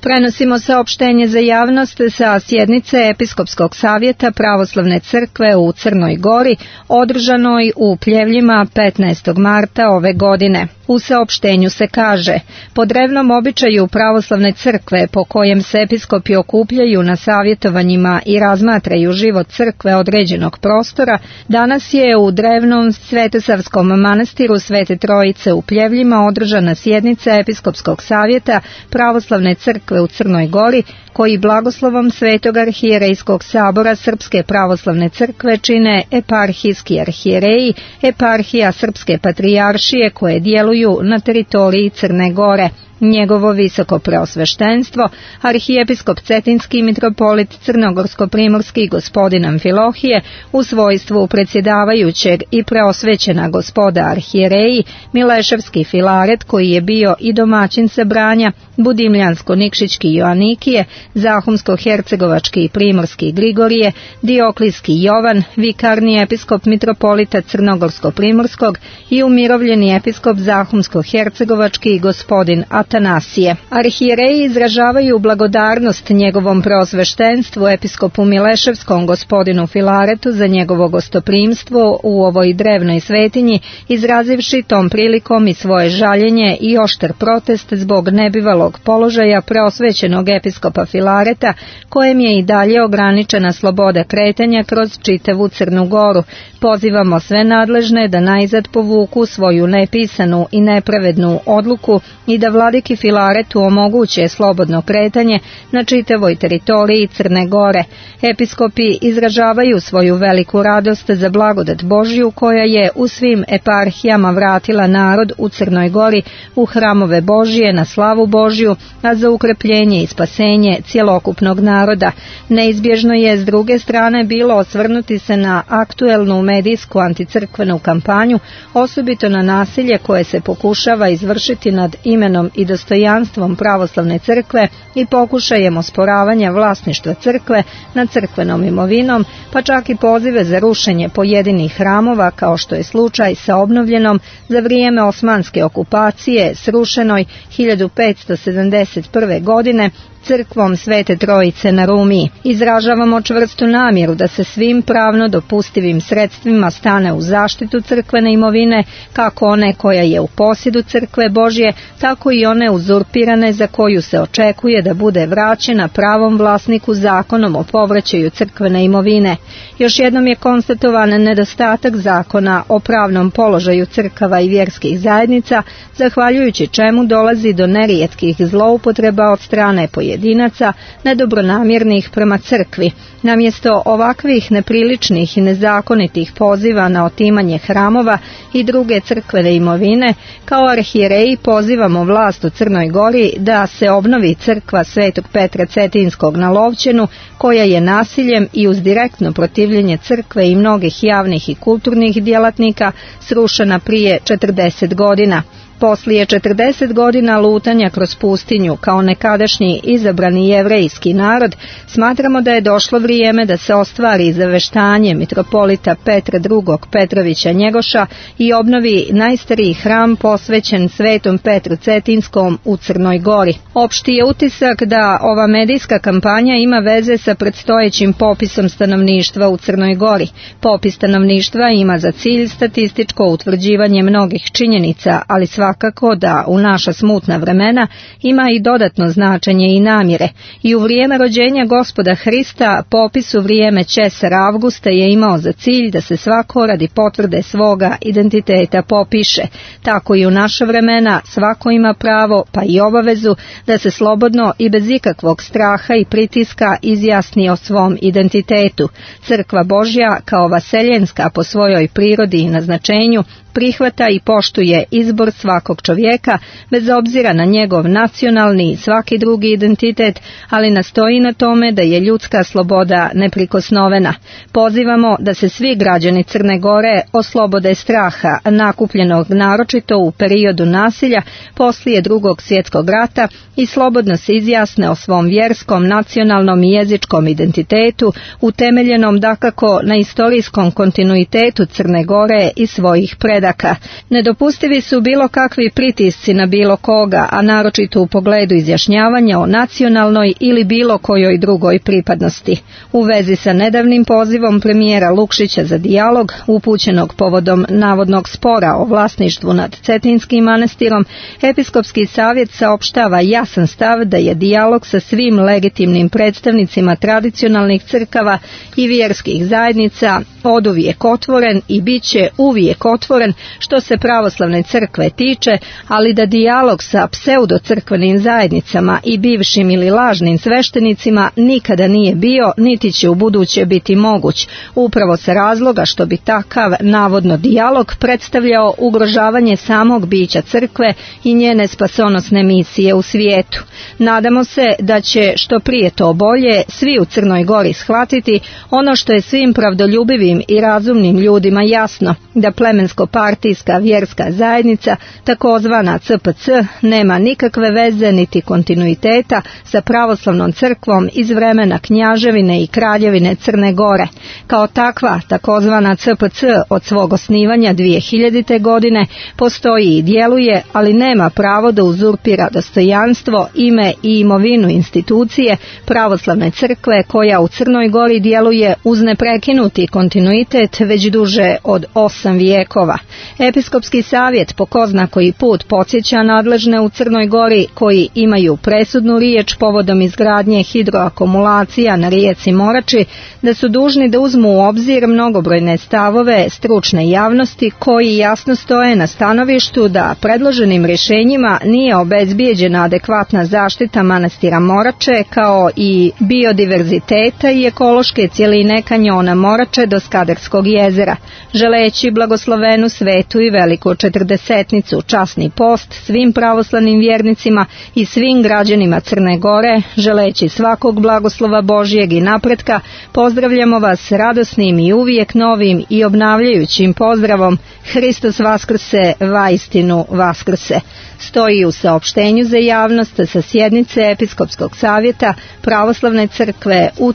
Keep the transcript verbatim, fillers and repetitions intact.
Prenosimo saopštenje za javnost sa sjednice Episkopskog savjeta Pravoslavne crkve u Crnoj Gori, održanoj u Pljevljima petnaestog marta ove godine. U saopštenju se kaže: po drevnom običaju Pravoslavne crkve, po kojem se episkopi okupljaju na savjetovanjima i razmatraju život crkve određenog prostora, danas je u drevnom Svetosavskom manastiru Svete Trojice u Pljevljima održana sjednica Episkopskog savjeta Pravoslavne crkve u Crnoj Gori, koji blagoslovom Svetog arhijerejskog sabora Srpske pravoslavne crkve čine eparhijski arhijereji, eparhija Srpske patrijaršije koje djeluju na teritoriji Crne Gore. Njegovo visoko preosveštenstvo, arhijepiskop Cetinski mitropolit Crnogorsko-primorski gospodin Amfilohije, u svojstvu predsjedavajućeg i preosvećena gospoda arhijereji, Mileševski Filaret koji je bio i domaćin sabranja, Budimljansko-Nikšićki Joanikije, Zahumsko-Hercegovački i Primorski Grigorije, Dioklijski Jovan, vikarni episkop mitropolita Crnogorsko-primorskog i umirovljeni episkop Zahumsko-Hercegovački gospodin Atanasije. Arhijereji izražavaju blagodarnost njegovom preosveštenstvu episkopu Mileševskom gospodinu Filaretu za njegovo gostoprimstvo u ovoj drevnoj svetinji, izrazivši tom prilikom i svoje žaljenje i oštar protest zbog nebivalog položaja preosvećenog episkopa Filareta, kojem je i dalje ograničena sloboda kretanja kroz čitavu Crnu Goru. Pozivamo sve nadležne da najzad povuku svoju nepisanu i nepravednu odluku i da vladiki Filaretu omoguće slobodno kretanje na čitavoj teritoriji Crne Gore. Episkopi izražavaju svoju veliku radost za blagodat Božju koja je u svim eparhijama vratila narod u Crnoj Gori u hramove Božje na slavu Božju, a za ukrepljenje i spasenje cjelokupnog naroda. Neizbježno je s druge strane bilo osvrnuti se na aktuelnu medijsku anticrkvenu kampanju, osobito na nasilje koje se pokušava izvršiti nad imenom i dostojanstvom pravoslavne crkve i pokušajem osporavanja vlasništva crkve nad crkvenom imovinom, pa čak i pozive za rušenje pojedinih hramova, kao što je slučaj sa obnovljenom za vrijeme osmanske okupacije srušenoj hiljadu petsto sedamdeset prve. godine crkvom Svete Trojice na Rumiji. Izražavamo čvrstu namjeru da se svim pravno dopustivim sredstvima stane u zaštitu crkvene imovine, kako one koja je u posjedu crkve Božje, tako i one uzurpirane za koju se očekuje da bude vraćena pravom vlasniku zakonom o povraćaju crkvene imovine. Još jednom je konstatovan nedostatak zakona o pravnom položaju crkava i vjerskih zajednica, zahvaljujući čemu dolazi do nerijetkih zloupotreba od strane pojedinaca nedobronamjernih prema crkvi. Namjesto ovakvih nepriličnih i nezakonitih poziva na otimanje hramova i druge crkvene imovine, kao arhijereji pozivamo vlast u Crnoj Gori da se obnovi crkva Svetog Petra Cetinskog na Lovćenu, koja je nasiljem i uz direktno protivljenje crkve i mnogih javnih i kulturnih djelatnika srušena prije četrdeset godina. Poslije četrdeset godina lutanja kroz pustinju kao nekadašnji izabrani jevrejski narod, smatramo da je došlo vrijeme da se ostvari zaveštanje mitropolita Petra drugog. Petrovića Njegoša i obnovi najstariji hram posvećen Svetom Petru Cetinskom u Crnoj Gori. Opšti je utisak da ova medijska kampanja ima veze sa predstojećim popisom stanovništva u Crnoj Gori. Popis stanovništva ima za cilj statističko utvrđivanje mnogih činjenica, ali svakako Svakako da u naša smutna vremena ima i dodatno značenje i namjere. I u vrijeme rođenja Gospoda Hrista popis u vrijeme Česara Avgusta je imao za cilj da se svako radi potvrde svoga identiteta popiše. Tako i u naša vremena svako ima pravo pa i obavezu da se slobodno i bez ikakvog straha i pritiska izjasni o svom identitetu. Crkva Božja kao vaseljenska po svojoj prirodi i naznačenju prihvata i poštuje izbor svakog čovjeka bez obzira na njegov nacionalni i svaki drugi identitet, ali nastoji na tome da je ljudska sloboda neprikosnovena. Pozivamo da se svi građani Crne Gore oslobode straha nakupljenog naročito u periodu nasilja poslije drugog svjetskog rata i slobodno se izjasne o svom vjerskom, nacionalnom i jezičkom identitetu utemeljenom dakako na istorijskom kontinuitetu Crne Gore i svojih predaka. predaka. Nedopustivi su bilo kakvi pritisci na bilo koga, a naročito u pogledu izjašnjavanja o nacionalnoj ili bilo kojoj drugoj pripadnosti. U vezi sa nedavnim pozivom premijera Lukšića za dijalog, upućenog povodom navodnog spora o vlasništvu nad Cetinskim manastirom, Episkopski savjet saopštava jasan stav da je dijalog sa svim legitimnim predstavnicima tradicionalnih crkava i vjerskih zajednica oduvijek otvoren i bit će uvijek otvoren što se pravoslavne crkve tiče, ali da dijalog sa pseudocrkvenim zajednicama i bivšim ili lažnim sveštenicima nikada nije bio, niti će u buduće biti moguć, upravo sa razloga što bi takav navodno dijalog predstavljao ugrožavanje samog bića crkve i njene spasonosne misije u svijetu. Nadamo se da će što prije to bolje svi u Crnoj Gori shvatiti ono što je svim pravdoljubivim i razumnim ljudima jasno, da plemensko-partijska vjerska zajednica, takozvana C P C, nema nikakve veze niti kontinuiteta sa pravoslavnom crkvom iz vremena Knjaževine i Kraljevine Crne Gore. Kao takva, takozvana C P C od svog osnivanja dvije hiljadite. godine postoji i djeluje, ali nema pravo da uzurpira dostojanstvo, ime i imovinu institucije pravoslavne crkve koja u Crnoj Gori djeluje uz neprekinuti kontinuitet već duže od osam vijekova. Episkopski savjet po ko zna koji put podsjeća nadležne u Crnoj Gori koji imaju presudnu riječ povodom izgradnje hidroakumulacija na rijeci Morači da su dužni da uzmu u obzir mnogobrojne stavove stručne javnosti koji jasno stoje na stanovištu da predloženim rješenjima nije obezbijeđena adekvatna zaštita manastira Morače kao i biodiverziteta i ekološke cjeline kanjona Morače do Skadarskog jezera. Želeći blagoslovenu svetu i veliku četrdesetnicu časni post svim pravoslavnim vjernicima i svim građanima Crne Gore, želeći svakog blagoslova Božjeg i napretka, pozdravljamo vas radosnim i uvijek novim i obnavljajućim pozdravom Hristos Vaskrse, vaistinu Vaskrse. Stoji u saopštenju za javnost sa sjednice Episkopskog savjeta Pravoslavne crkve u